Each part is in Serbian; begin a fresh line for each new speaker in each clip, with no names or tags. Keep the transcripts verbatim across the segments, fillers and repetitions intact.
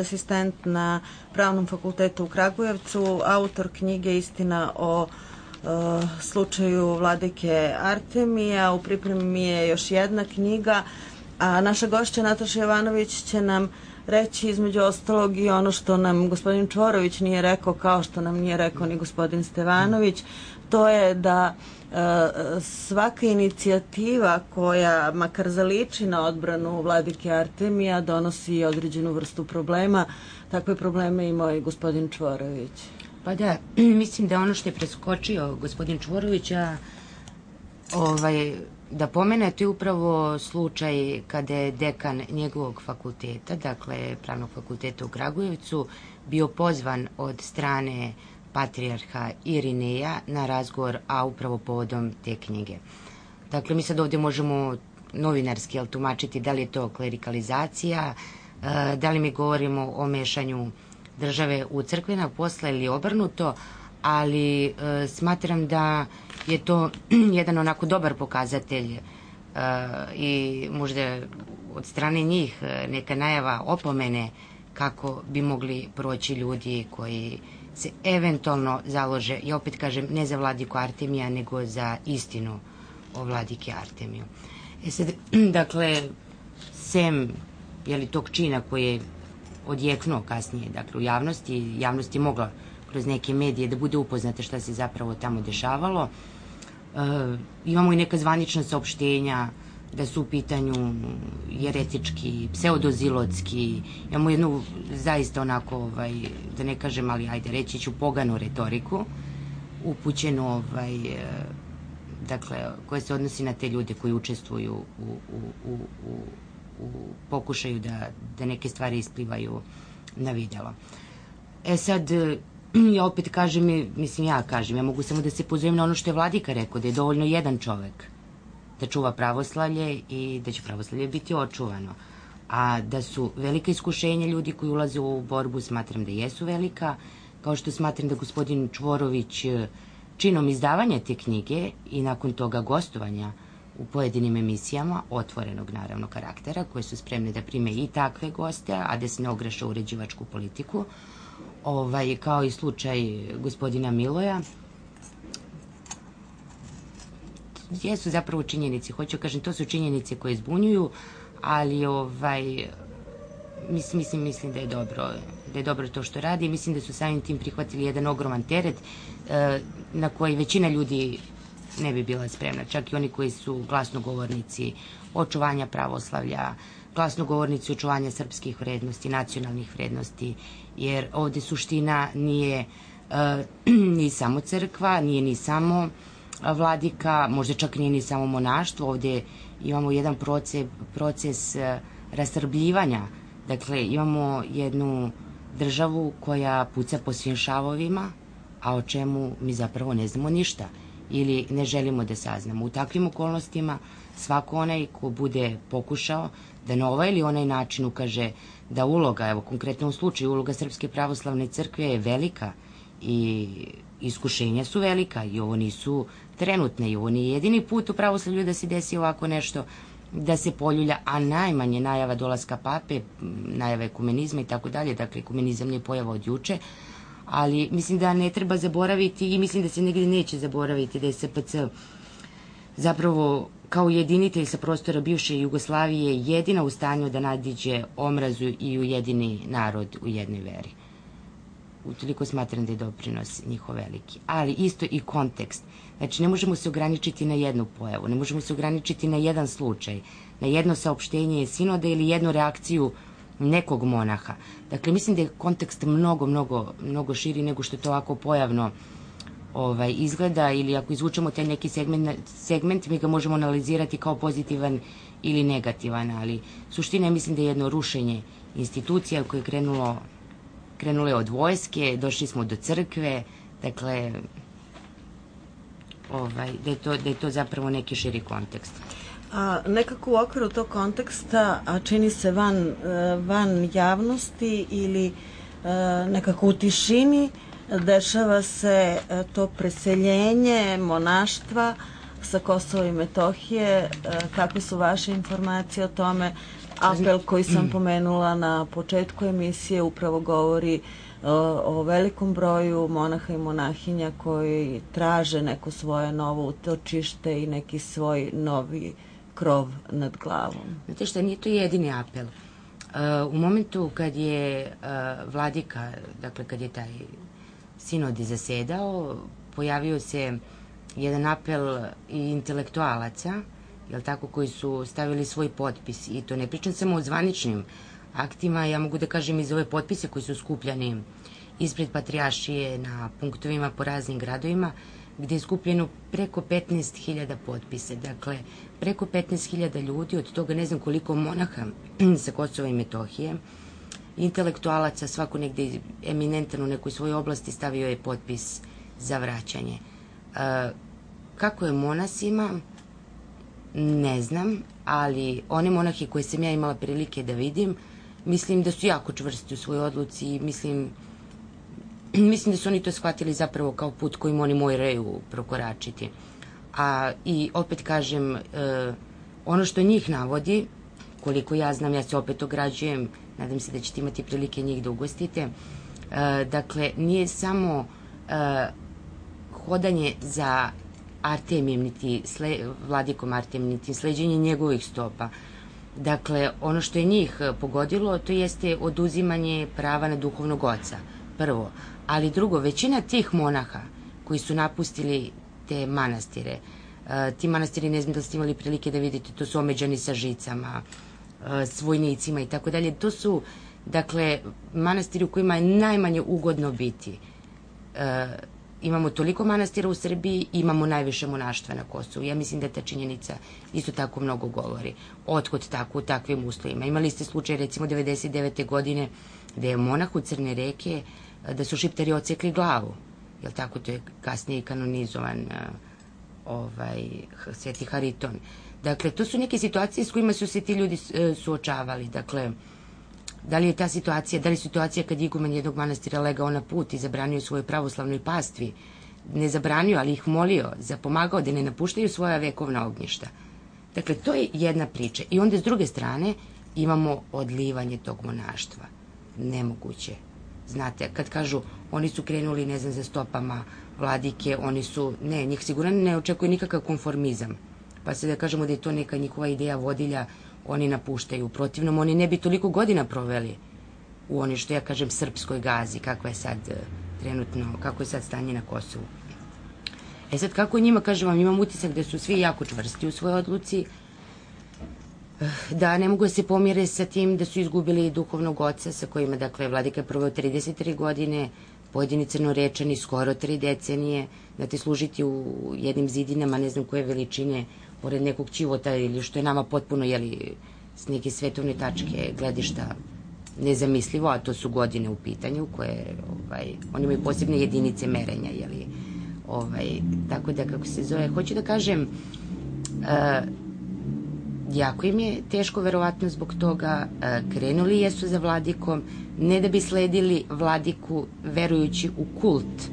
Asistent na Pravnom fakultetu u Kragujevcu, autor knjige Istina o uh, slučaju vladike Artemija. U pripremi mi je još jedna knjiga, a naša gošća Nataša Jovanović će nam reći između ostalog i ono što nam gospodin Čvorović nije rekao, kao što nam nije rekao ni gospodin Stevanović. To je da uh, svaka inicijativa koja makar zaliči na odbranu vladike Artemija donosi određenu vrstu problema. Takve probleme imao i gospodin Čvorović.
Pa da, mislim da ono što je preskočio gospodin Čvorović, a ovaj, da pomene, to je upravo slučaj kada je dekan njegovog fakulteta, dakle Pravnog fakulteta u Kragujevcu, bio pozvan od strane patrijarha Irineja na razgovor, a upravo povodom te knjige. Dakle, mi sad ovdje možemo novinarski jel, tumačiti da li je to klerikalizacija, da li mi govorimo o mešanju države u crkvena posla ili obrnuto, ali e, smatram da je to jedan onako dobar pokazatelj e, i možda od strane njih neka najava opomene kako bi mogli proći ljudi koji se eventualno založe, ja opet kažem, ne za vladiku Artemija, nego za istinu o vladike Artemiju. E sad, dakle, sem jeli, tog čina koji je odjeknuo kasnije, dakle, u javnosti, javnost je mogla kroz neke medije da bude upoznata šta se zapravo tamo dešavalo. E, imamo i neka zvanična saopštenja da su u pitanju jeretički, pseudozilotski, imamo jednu zaista onako, ovaj, da ne kažem, ali ajde reći ću poganu retoriku, upućenu, ovaj, dakle, koja se odnosi na te ljude koji učestvuju u, u, u, u, u pokušaju da, da neke stvari isplivaju na videlo. E sad, ja opet kažem, mislim ja kažem, ja mogu samo da se pozovem na ono što je vladika rekao, da je dovoljno jedan čovek da čuva pravoslavlje i da će pravoslavlje biti očuvano. A da su velika iskušenja ljudi koji ulaze u borbu, smatram da jesu velika, kao što smatram da gospodin Čvorović činom izdavanja te knjige i nakon toga gostovanja u pojedinim emisijama, otvorenog naravno karaktera, koje su spremne da prime i takve goste, a da se ne ogreše u uređivačku politiku, ovaj, kao i slučaj gospodina Miloja, jesu zapravo činjenice, hoću kažem, to su činjenice koje zbunjuju, ali ovaj, mislim, mislim, mislim da je dobro, da je dobro to što radi. Mislim da su samim tim prihvatili jedan ogroman teret e, na koji većina ljudi ne bi bila spremna, čak i oni koji su glasnogovornici očuvanja pravoslavlja, glasnogovornici očuvanja srpskih vrednosti, nacionalnih vrednosti, jer ovde suština nije e, ni samo crkva, nije ni samo vladika, možda čak nije ni samo monaštvo, ovdje imamo jedan proces, proces rasrbljivanja, dakle imamo jednu državu koja puca po svim šavovima, a o čemu mi zapravo ne znamo ništa ili ne želimo da saznamo. U takvim okolnostima svako onaj ko bude pokušao da na ovaj ili onaj način ukaže da uloga, evo konkretno u slučaju uloga Srpske pravoslavne crkve je velika i iskušenja su velika i ovo nisu trenutne i ovo nije jedini put u pravoslavlju da se desi ovako nešto, da se poljulja, a najmanje najava dolaska pape, najava ekumenizma i tako dalje, dakle ekumenizam nije pojava od juče, ali mislim da ne treba zaboraviti i mislim da se negdje neće zaboraviti da je S P C zapravo kao jedinitelj sa prostora bivše Jugoslavije jedina u stanju da nadiđe omrazu i ujedini narod u jednoj veri. Utoliko smatram da je doprinos njihov veliki. Ali isto i kontekst. Znači, ne možemo se ograničiti na jednu pojavu, ne možemo se ograničiti na jedan slučaj, na jedno saopštenje sinoda ili jednu reakciju nekog monaha. Dakle, mislim da je kontekst mnogo, mnogo, mnogo širi nego što to ovako pojavno ovaj, izgleda, ili ako izvučemo taj neki segment, segment, mi ga možemo analizirati kao pozitivan ili negativan, ali suština je, mislim da je jedno rušenje institucija koje je krenulo Krenulo je od vojske, došli smo do crkve, dakle, ovaj, da, je to, da je to zapravo neki širi kontekst.
A nekako u okviru tog konteksta, a čini se van, van javnosti ili nekako u tišini, dešava se to preseljenje monaštva sa Kosova i Metohije. Kakve su vaše informacije o tome? apel koji sam pomenula na početku emisije upravo govori o velikom broju monaha i monahinja koji traže neko svoje novo utočište i neki svoj novi krov nad glavom.
Znate šta, nije to jedini apel. U momentu kad je vladika, dakle kad je taj sinod zasedao, pojavio se jedan apel i intelektualaca, jel tako, koji su stavili svoj potpis, i to ne pričam samo o zvaničnim aktima, ja mogu da kažem i za ove potpise koji su skupljani ispred Patrijaršije na punktovima po raznim gradovima, gde je skupljeno preko petnaest hiljada potpisa. Dakle, preko petnaest hiljada ljudi, od toga ne znam koliko monaha sa Kosova i Metohije, intelektualaca, svako negde eminentan u nekoj svojoj oblasti stavio je potpis za vraćanje. Kako je monasima, ne znam, ali one monahe koje sam ja imala prilike da vidim, mislim da su jako čvrsti u svojoj odluci i mislim, mislim da su oni to shvatili zapravo kao put kojim oni moraju prokoračiti. A i opet kažem, e, ono što njih navodi, koliko ja znam, ja se opet ograđujem, nadam se da ćete imati prilike njih da ugostite, e, dakle, nije samo e, hodanje za Artemijem, niti sle, vladikom Artemijem, niti sleđenje njegovih stopa. Dakle, ono što je njih pogodilo, to jeste oduzimanje prava na duhovnog oca, prvo. Ali drugo, većina tih monaha koji su napustili te manastire, ti manastiri, ne znam da ste imali prilike da vidite, to su omeđani sa žicama, s vojnicima i tako dalje. To su, dakle, manastiri u kojima je najmanje ugodno biti. Imamo toliko manastira u Srbiji, imamo najviše monaštva na Kosovu. Ja mislim da ta činjenica isto tako mnogo govori. Otkud tako u takvim uslovima? Imali ste slučaj, recimo, devedeset devete godine, gde je monah u Crne reke, da su Šiptari ocekli glavu. Jel tako? To je kasnije i kanonizovan ovaj, Sveti Hariton. Dakle, to su neke situacije s kojima su se ti ljudi suočavali. Dakle, da li je ta situacija, da li je situacija kad iguman jednog manastira legao na put i zabranio svojoj pravoslavnoj pastvi, ne zabranio, ali ih molio, zapomagao da ne napuštaju svoja vekovna ognjišta. Dakle, to je jedna priča. I onda s druge strane imamo odlivanje tog monaštva. Nemoguće. Znate, kad kažu oni su krenuli, ne znam, za stopama vladike, oni su, ne, njih sigurno ne očekuje nikakav konformizam. Pa se da kažemo da je to neka njihova ideja vodilja, oni napuštaju. U protivnom, oni ne bi toliko godina proveli u oni, što ja kažem, srpskoj gazi, kakva je sad trenutno, kako je sad stanje na Kosovu. E sad, kako njima, kažem vam, imam utisak da su svi jako čvrsti u svojoj odluci, da ne mogu da se pomire sa tim da su izgubili duhovnog oca sa kojima, dakle, vladika je proveo trideset tri godine, pojedini crnorečani skoro tri decenije, da te služiti u jednim zidinama, ne znam koje veličine, pored nekog ćivota, ili što je nama potpuno, jeli, s neke svetovne tačke gledišta nezamislivo, a to su godine u pitanju, koje, ovaj, oni imaju posebne jedinice merenja, jeli, ovaj, tako da, kako se zove, hoću da kažem, uh, jako im je teško, verovatno zbog toga, krenuli jesu za vladikom, ne da bi sledili vladiku verujući u kult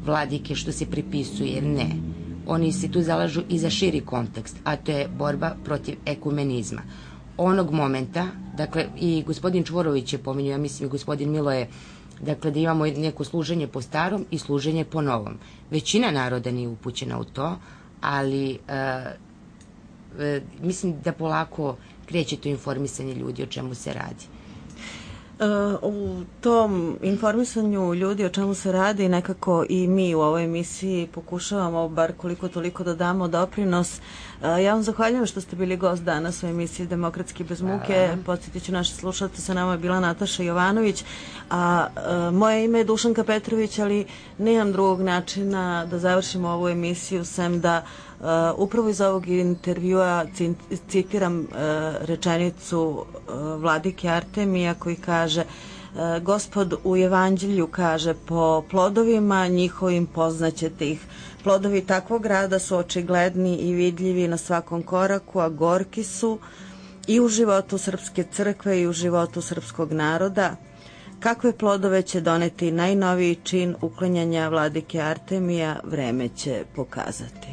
vladike što se pripisuje, ne. Oni se tu zalažu i za širi kontekst, a to je borba protiv ekumenizma. Onog momenta, dakle, i gospodin Čvorović je pominjao, ja mislim i gospodin Miloje, dakle, da imamo neko služenje po starom i služenje po novom. Većina naroda nije upućena u to, ali mislim da polako kreće to informisanje ljudi o čemu se radi.
U tom informisanju ljudi o čemu se radi nekako i mi u ovoj emisiji pokušavamo bar koliko toliko da damo doprinos. Ja vam zahvaljujem što ste bili gost danas u emisiji Demokratski bez muke. Podsjetit ću naše slušalce, sa nama je bila Nataša Jovanović, a moje ime je Dušanka Petrović, ali nemam drugog načina da završimo ovu emisiju sem da Uh, upravo iz ovog intervjua citiram uh, rečenicu uh, vladike Artemija koji kaže uh, Gospod u Evanđelju kaže po plodovima njihovim poznaćete ih. Plodovi takvog rada su očigledni i vidljivi na svakom koraku, a gorki su i u životu Srpske crkve i u životu srpskog naroda. Kakve plodove će doneti najnoviji čin uklanjanja vladike Artemija, vreme će pokazati.